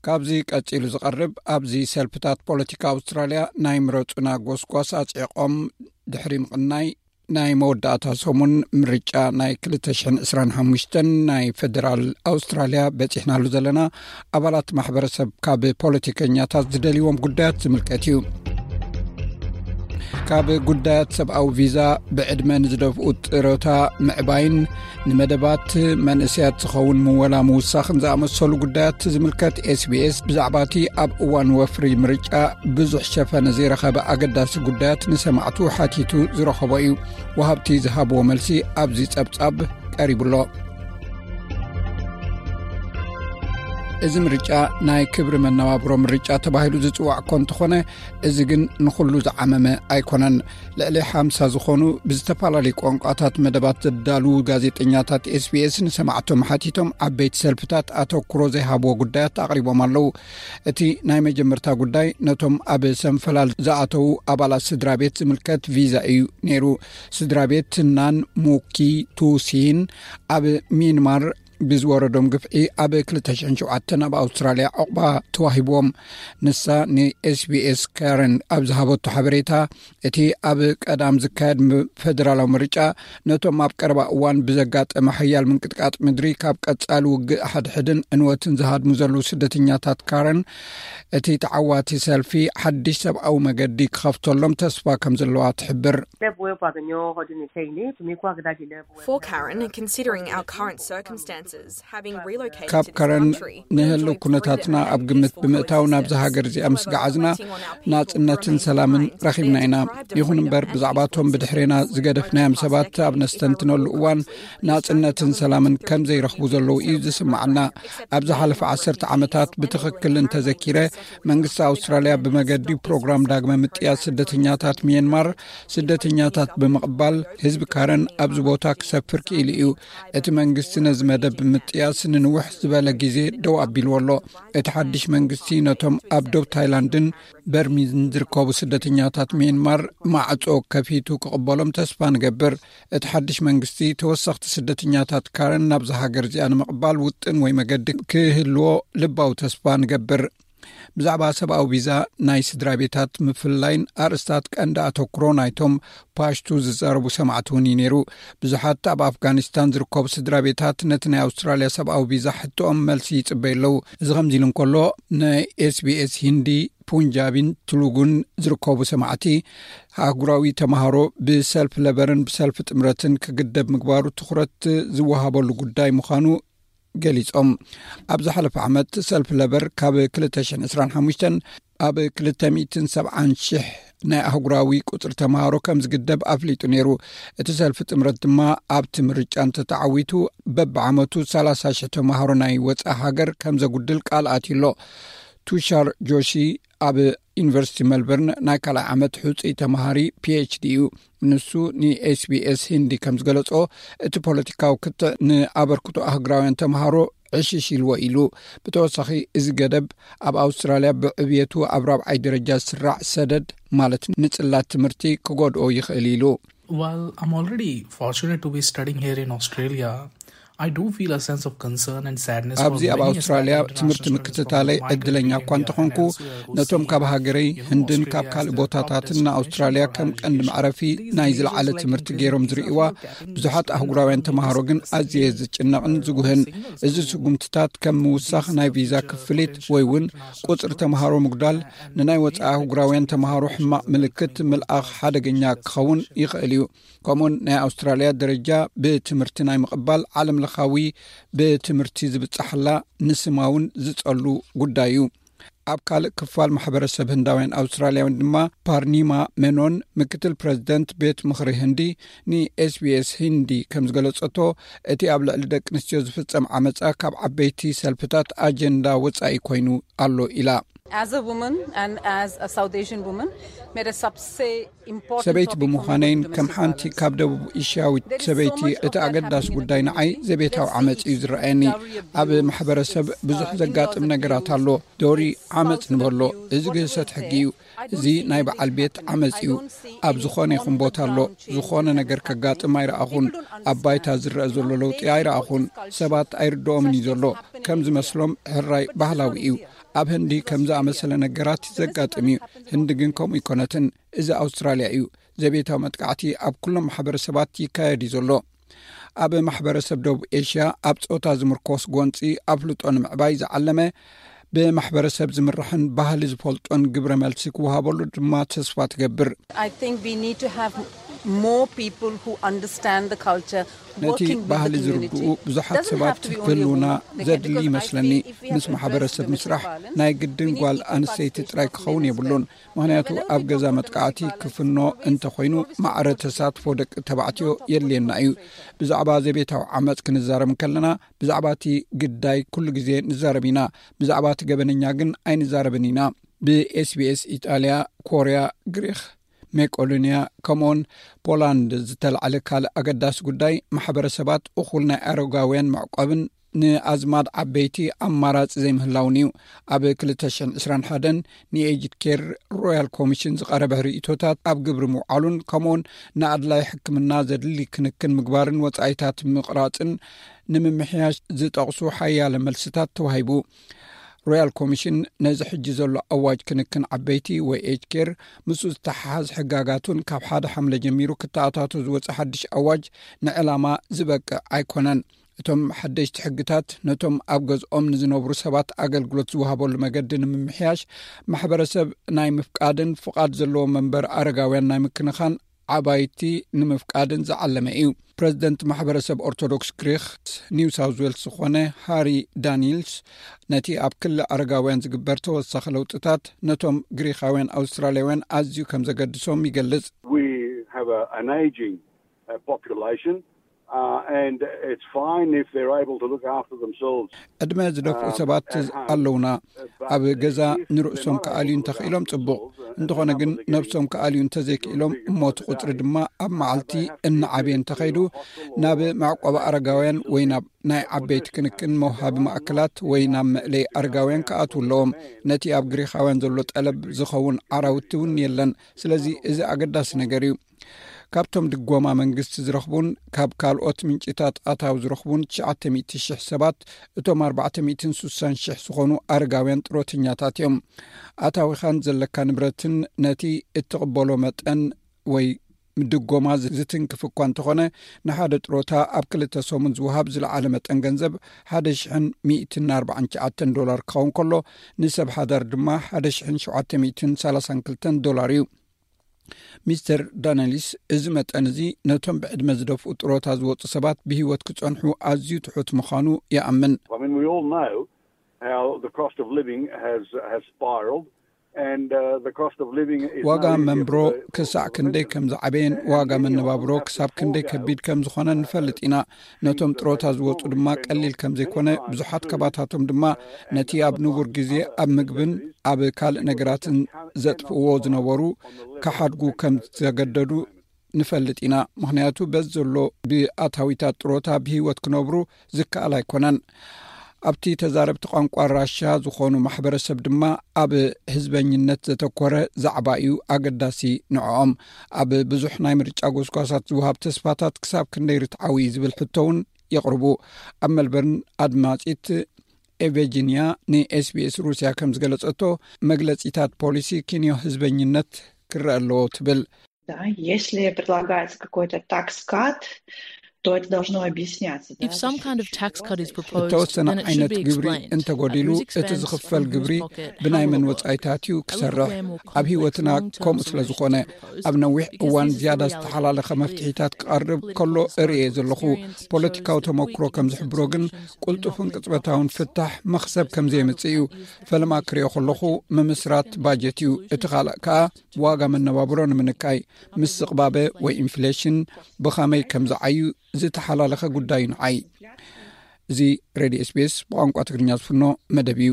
ካብዚ ቀጺሉ ዝቐርብ፣ ኣብዚ ሰልፍታት ፖለቲካ ኣውስትራልያ ናይ ምረጹና ጎስጓስ ኣጽዒቖም ድሕሪ ምቕናይ፣ ናይ መወዳእታ ሰሙን ምርጫ ናይ ክልተ ሽሕን ዕስራን ሓሙሽተን ናይ ፌደራል ኣውስትራልያ በጺሕናሉ ዘለና፣ ኣባላት ማሕበረሰብ ካብ ፖለቲከኛታት ዝደልይዎም ጉዳያት ዝምልከት እዩ። ካብ ጉዳያት ሰብኣዊ ቪዛ፣ ብዕድመ ንዝደፍኡ ጥሮታ ምዕባይን ንመደባት መንእሰያት ዝኸውን ምወላ ምውሳኽን ዝኣመሰሉ ጉዳያት ዝምልከት፣ ኤስቢኤስ ብዛዕባ እቲ ኣብ እዋን ወፍሪ ምርጫ ብዙሕ ሸፈነ ዘይረኸበ ኣገዳሲ ጉዳያት ንሰማዕቱ ሓቲቱ ዝረኸቦ እዩ። ወሃብቲ ዝሃብዎ መልሲ ኣብዚ ጸብጻብ ቀሪቡ ኣሎ። እዚ ምርጫ ናይ ክብሪ መነባብሮ ምርጫ ተባሂሉ ዝጽዋዕ እኮ እንተኾነ፣ እዚ ግን ንኹሉ ዝዓመመ ኣይኮነን። ልዕሊ ሓምሳ ዝኾኑ ብዝተፈላለዩ ቋንቋታት መደባት ዘዳልዉ ጋዜጠኛታት ኤስቢኤስ ንሰማዕቶም ሓቲቶም፣ ዓበይቲ ሰልፍታት ኣተኩሮ ዘይሃብዎ ጉዳያት ኣቕሪቦም ኣለዉ። እቲ ናይ መጀመርታ ጉዳይ ነቶም ኣብ ሰንፈላል ዝኣተዉ ኣባላት ስድራ ቤት ዝምልከት ቪዛ እዩ ነይሩ። ስድራ ቤት ናን ሙኪ ቱሲን ኣብ ሚንማር ብዝወረዶም ግፍዒ ኣብ ክልተ ሽሕን ሸውዓተን ኣብ ኣውስትራልያ ዕቑባ ተዋሂብዎም። ንሳ ንኤስቢኤስ ካረን ኣብ ዝሃበቶ ሓበሬታ፣ እቲ ኣብ ቀዳም ዝካየድ ም-፣ ፌደራላዊ ምርጫ ነቶም ኣብ ቀረባ እዋን ብዘጋጠመ ሓያል ምንቅጥቃጥ ምድሪ ካብ ቀጻሊ ውግእ ሓድሕድን ዕንወትን ዝሃድሙ ዘለዉ ስደተኛታት ካረን፣ እቲ ተዓዋቲ ሰልፊ ሓድሽ ሰብኣዊ መገዲ ክኸፍተሎም ተስፋ ከም ዘለዋ ትሕብር። For Karen, considering our current circumstances, having relocated ካብ to this ካረን country, ንህልው ኩነታትና ኣብ ግምት ብምእታው ናብዚ ሃገር እዚኣ ምስ ገዓዝና፣ ናጽነትን ሰላምን ረኺብና ኢና። ይኹን እምበር፣ ብዛዕባቶም ብድሕሬና ዝገደፍናዮም ሰባት ኣብ ነስተንትነሉ እዋን፣ ናጽነትን ሰላምን ከም ዘይረኽቡ ዘለዉ እዩ ዝስምዓና። ኣብ ዝሓለፈ ዓሰርተ ዓመታት ብትኽክል እንተዘኪረ፣ መንግስቲ ኣውስትራልያ ብመገዲ ፕሮግራም ዳግመ ምጥያስ ስደተኛታት ሚየንማር፣ ስደተኛታት ብምቕባል፣ ህዝቢ ካረን ኣብዚ ቦታ ክሰፍር ክኢሉ እዩ። እቲ መንግስቲ ነዚ መደብ ብምጥያስ ንንውሕ ዝበለ ግዜ ደው ኣቢልዎ ኣሎ። እቲ ሓድሽ መንግስቲ ነቶም ኣብ ዶብ ታይላንድን በርሚን ዝርከቡ ስደተኛታት ሚየንማር ማዕጾ ከፊቱ ክቕበሎም ተስፋ ንገብር። እቲ ሓድሽ መንግስቲ ተወሰኽቲ ስደተኛታት ካረን ናብዚ ሃገር እዚኣ ንምቕባል ውጥን ወይ መገዲ ክህልዎ ልባዊ ተስፋ ንገብር። ብዛዕባ ሰብኣዊ ቪዛ፣ ናይ ስድራ ቤታት ምፍልላይን ኣርእስታት ቀንዲ ኣተኩሮ ናይቶም ፓሽቱ ዝዛረቡ ሰማዕቲ እውን እዩ ነይሩ። ብዙሓት ኣብ ኣፍጋኒስታን ዝርከቡ ስድራ ቤታት ነቲ ናይ ኣውስትራልያ ሰብኣዊ ቪዛ ሕቶኦም መልሲ ይጽበዩ ኣለዉ። እዚ ከምዚ ኢሉ እንከሎ፣ ናይ ኤስቢኤስ ሂንዲ፣ ፑንጃቢን ትሉጉን ዝርከቡ ሰማዕቲ፣ ኣህጉራዊ ተማሃሮ ብሰልፊ ለበርን ብሰልፊ ጥምረትን ክግደብ ምግባሩ ትኹረት ዝወሃበሉ ጉዳይ ምዃኑ ገሊጾም። ኣብ ዝሓለፈ ዓመት ሰልፊ ለበር ካብ ክልተ ሽሕን ዕስራን ሓሙሽተን ኣብ ክልተ ሚእትን ሰብዓን ሽሕ ናይ ኣህጉራዊ ቁጽሪ ተማሃሮ ከም ዝግደብ ኣፍሊጡ ነይሩ። እቲ ሰልፊ ጥምረት ድማ ኣብቲ ምርጫ እንተተዓዊቱ በብዓመቱ ሰላሳ ሽሕ ተማሃሮ ናይ ወጻኢ ሃገር ከም ዘጉድል ቃል ኣትዩ ኣሎ። ቱሻር ጆሺ ኣብ ዩኒቨርሲቲ መልበርን ናይ ካልኣይ ዓመት ሕጹይ ተማሃሪ ፒኤችዲ እዩ። ንሱ ንኤስቢኤስ ሂንዲ ከም ዝገለጾ፣ እቲ ፖለቲካዊ ክትዕ ንኣበርክቶ ኣህጉራውያን ተማሃሮ ዕሽሽ ኢልዎ ኢሉ። ብተወሳኺ፣ እዚ ገደብ ኣብ ኣውስትራልያ ብዕብየቱ ኣብ ራብዓይ ደረጃ ዝስራዕ ሰደድ፣ ማለት ንጽላት ትምህርቲ፣ ክጎድኦ ይኽእል ኢሉ። Well, I'm already fortunate to be studying here in Australia. I do feel a sense of concern and sadness for ኣብዚ ኣብ many ኣውስትራልያ aspiring ትምህርቲ international students ምክትታለይ from my ዕድለኛ country እኳ India እንተኾንኩ፣ and elsewhere who ነቶም see ካብ India ሃገረይ as their ህንድን ካብ opportunity ካልእ as their ቦታታትን passion ንኣውስትራልያ for ከም higher ቀንዲ education. መዕረፊ ናይ ዝለዓለ ትምህርቲ ገይሮም ዝርእይዋ ብዙሓት ኣህጉራውያን ተምሃሮ ግን ኣዝየ ዝጭነቕን ዝጉህን። እዚ ስጉምትታት ከም ምውሳኽ ናይ ቪዛ ክፍሊት ወይ እውን ቁጽሪ ተምሃሮ ምጉዳል ንናይ ወጻኢ ኣህጉራውያን ተምሃሮ ሕማቕ ምልክት ምልኣኽ ሓደገኛ ክኸውን ይኽእል እዩ። ከምኡውን ናይ ኣውስትራልያ ደረጃ ብትምህርቲ ናይ ምቕባል ዓለም ለኻዊ ብትምህርቲ ዝብጻሕላ ንስማ እውን ዝጸሉ ጉዳይ እዩ። ኣብ ካልእ ክፋል ማሕበረሰብ ህንዳውያን ኣውስትራልያውያን ድማ ፓርኒማ ሜኖን፣ ምክትል ፕረዚደንት ቤት ምኽሪ ህንዲ፣ ንኤስቢኤስ ሂንዲ ከም ዝገለጸቶ፣ እቲ ኣብ ልዕሊ ደቂ ኣንስትዮ ዝፍጸም ዓመጻ ካብ ዓበይቲ ሰልፍታት ኣጀንዳ ወጻኢ ኮይኑ ኣሎ ኢላ። As a woman and as a South Asian woman, mere sabse important ሰበይቲ topic for me ብምዃነይን was the ከም domestic ሓንቲ violence. ካብ ደቡብ ኤሽያዊት ሰበይቲ፣ እቲ ኣገዳሲ ጉዳይ ንዓይ ዘቤታዊ ዓመጽ እዩ ዝረኣየኒ። ኣብ ማሕበረሰብ ብዙሕ ዘጋጥም ነገራት ኣሎ። ዶሪ፣ ዓመጽ ንበሎ፣ እዚ ግህሰት ሕጊ እዩ። እዚ ናይ በዓል ቤት ዓመጽ እዩ። ኣብ ዝኾነ ይኹን ቦታ ኣሎ። ዝኾነ ነገር ከጋጥም ኣይረኣኹን። ኣብ ባይታ ዝረአ ዘሎ ለውጢ ኣይረኣኹን። ሰባት ኣይርድኦምን እዩ ዘሎ። ከም ዝመስሎም ሕራይ ባህላዊ እዩ። ኣብ ህንዲ ከም ዝኣመሰለ ነገራት ዘጋጥም እዩ። ህንዲ ግን ከምኡ ኣይኮነትን። እዚ ኣውስትራልያ እዩ። ዘቤታዊ መጥቃዕቲ ኣብ ኩሎም ማሕበረሰባት ይካየድ እዩ ዘሎ። ኣብ ማሕበረሰብ ደቡብ ኤሽያ ኣብ ጾታ ዝምርኮስ ጎንፂ ኣፍልጦ ንምዕባይ ዝዓለመ፣ ብማሕበረሰብ ዝምራሕን ባህሊ ዝፈልጦን ግብረ መልሲ ክወሃበሉ ድማ ተስፋ ትገብር። I think we need to have more people who understand the culture. ነቲ ባህሊ ዝርድኡ ብዙሓት ሰባት ክህልውና ዘድሊ ይመስለኒ። ምስ ማሕበረሰብ ምስራሕ ናይ ግድን ጓል ኣንስተይቲ ጥራይ ክኸውን የብሉን። ምኽንያቱ ኣብ ገዛ መጥቃዕቲ ክፍኖ እንተኾይኑ፣ ማዕረ ተሳትፎ ደቂ ተባዕትዮ የድልየና እዩ። ብዛዕባ ዘቤታዊ ዓመፅ ክንዛረብ ከለና፣ ብዛዕባ እቲ ግዳይ ኩሉ ግዜ ንዛረብ ኢና። ብዛዕባ እቲ ገበነኛ ግን ኣይንዛረብን ኢና። ብኤስቢኤስ ኢጣልያ፣ ኮርያ፣ ግሪክ፣ ሜቆዶንያ፣ ከምኡውን ፖላንድ ዝተላዕለ ካልእ ኣገዳሲ ጉዳይ፣ ማሕበረሰባት እኹል ናይ ኣረጋውያን መዕቆብን ንኣዝማድ ዓበይቲ ኣማራፂ ዘይምህላውን እዩ። ኣብ ክልተ ሽሕን ዕስራን ሓደን ንኤጅድ ኬር ሮያል ኮሚሽን ዝቐረበ ርእይቶታት ኣብ ግብሪ ምውዓሉን፣ ከምኡውን ንኣድላይ ሕክምና ዘድሊ ክንክን ምግባርን ወፃኢታት ምቕራፅን ንምምሕያሽ ዝጠቕሱ ሓያለ መልስታት ተዋሂቡ። ሮያል ኮሚሽን ነዚ ሕጂ ዘሎ ኣዋጅ ክንክን ዓበይቲ ወይ ኤጅድ ኬር፣ ምስኡ ዝተሓሓዝ ሕጋጋቱን ካብ ሓደ ሓምለ ጀሚሩ ክተኣታቶ ዝወፀ ሓድሽ ኣዋጅ ንዕላማ ዝበቅዕ ኣይኮነን። እቶም ሓደሽቲ ሕግታት ነቶም ኣብ ገዝኦም ንዝነብሩ ሰባት ኣገልግሎት ዝወሃበሉ መገዲ ንምምሕያሽ፣ ማሕበረሰብ ናይ ምፍቃድን ፍቓድ ዘለዎ መንበር ኣረጋውያን ናይ ምክንኻን ዓባይቲ ንምፍቃድን ዝዓለመ እዩ። ፕረዚደንት ማሕበረሰብ ኦርቶዶክስ ግሪክ ኒው ሳውዝ ዌልስ ዝኾነ ሃሪ ዳኒልስ፣ ነቲ ኣብ ክሊ ኣረጋውያን ዝግበር ተወሳኺ ለውጥታት ነቶም ግሪኻውያን ኣውስትራልያውያን ኣዝዩ ከም ዘገድሶም ይገልጽ። We have a, an aging uh, population, uh, and it's fine if they're able to look after themselves. ዕድመ ዝደፍኡ ሰባት ኣለውና። ኣብ ገዛ ንርእሶም ክኣልዩ እንተኽኢሎም ጽቡቕ። እንተኾነ ግን ነብሶም ክኣልዩ እንተዘይክኢሎም፣ እሞ እቲ ቁጽሪ ድማ ኣብ መዓልቲ እናዓበየ እንተኸይዱ፣ ናብ መዕቆቢ ኣረጋውያን ወይ ናብ ናይ ዓበይቲ ክንክን መውሃቢ ማእከላት ወይ ናብ መእለይ ኣረጋውያን ክኣትዉ ኣለዎም። ነቲ ኣብ ግሪኻውያን ዘሎ ጠለብ ዝኸውን ዓራውቲ እውን የለን። ስለዚ እዚ ኣገዳሲ ነገር እዩ። ካብቶም ድጎማ መንግስቲ ዝረኽቡን ካብ ካልኦት ምንጭታት ኣታዊ ዝረኽቡን ትሽዓተ ሚእቲ ሽሕ ሰባት፣ እቶም ኣርባዕተ ሚእትን ስሳን ሽሕ ዝኾኑ ኣረጋውያን ጥሮተኛታት እዮም። ኣታዊኻን ዘለካ ንብረትን ነቲ እትቕበሎ መጠን ወይ ድጎማ ዝትንክፍ እኳ እንተኾነ፣ ንሓደ ጥሮታ ኣብ ክልተ ሰሙን ዝወሃብ ዝለዓለ መጠን ገንዘብ ሓደ ሽሕን ሚእትን ኣርባዓን ትሽዓተን ዶላር ክኸውን ከሎ፣ ንሰብ ሓዳር ድማ ሓደ ሽሕን ሸውዓተ ሚእትን ሰላሳን ክልተን ዶላር እዩ። ሚስተር ዳነሊስ፣ እዚ መጠን እዚ ነቶም ብዕድመ ዝደፍኡ ጥሮታ ዝወፁ ሰባት ብህይወት ክፀንሑ ኣዝዩ ትሑት ምዃኑ ይኣምን። I mean, we all know how the cost of living has has spiraled, and uh, the cost of living is ዋጋ now easier መንብሮ for the- ክሳዕ ክንደይ ከም ዝዓበየን ዋጋ መነባብሮ ክሳብ ክንደይ ከቢድ ከም ዝኾነ ንፈልጥ ኢና። ነቶም ጥሮታ ዝወፁ ድማ ቀሊል ከም ዘይኮነ፣ ብዙሓት ካባታቶም ድማ ነቲ ኣብ ንቡር ግዜ ኣብ ምግብን ኣብ ካልእ ነገራትን ዘጥፍእዎ ዝነበሩ ክሓድጉ ከም ዝተገደዱ ንፈልጥ ኢና። ምኽንያቱ በዚ ዘሎ ብኣታዊታት ጥሮታ ብህይወት ክነብሩ ዝከኣል ኣይኮነን። ኣብቲ ተዛረብቲ ቋንቋ ራሻ ዝኾኑ ማሕበረሰብ ድማ፣ ኣብ ህዝበኝነት ዘተኮረ ዛዕባ እዩ ኣገዳሲ ንዕኦም። ኣብ ብዙሕ ናይ ምርጫ ጎስጓሳት ዝወሃብ ተስፋታት ክሳብ ክንደይ ርትዓዊ እዩ ዝብል ሕቶ እውን የቕርቡ። ኣብ መልበርን ኣድማጺት ኤቨጂንያ ንኤስቢኤስ ሩስያ ከም ዝገለጸቶ፣ መግለጺታት ፖሊሲ ክንዮ ህዝበኝነት ክረአ ኣለዎ ትብል። Да, если предлагается какой-то tax cut, то это должно объясняться. Да? If some kind of tax cut is proposed, እተወሰነ then it should ዓይነት be ግብሪ explained. እንተጎዲሉ፣ At whose እቲ expense, ዝኽፈል from whose ግብሪ pocket, ብናይ how will መን it work? ወጻኢታት እዩ A little ክሰርሕ? way more ኣብ ህይወትና complex, long-term ከምኡ ስለ solutions ዝኾነ፣ to propose, ኣብ ነዊሕ because እዋን this is the ዝያዳ reality. ዝተሓላለኸ If መፍትሒታት political ክቐርብ ከሎ philosophy እርእየ and ዘለኹ። experience ፖለቲካዊ shows that ተመክሮ ከም difficult ዝሕብሮ ግን፣ solutions do not ቅልጡፍን make ቅጽበታውን profits. ፍታሕ መኽሰብ ከም ዘየምጽእ እዩ። ፈለማ ክሪኦ ከለኹ፣ ምምስራት ባጀት እዩ። እቲ ካልእ ከኣ ዋጋ መነባብሮ ንምንካይ። ምስቕባበ ወይ ኢንፍሌሽን ብኸመይ ከም ዝዓዩ ዝተሓላለኸ ጉዳይ እዩ ንዓይ። እዚ ሬድዮ ኤስቢኤስ ብቋንቋ ትግርኛ ዝፍኖ መደብ እዩ።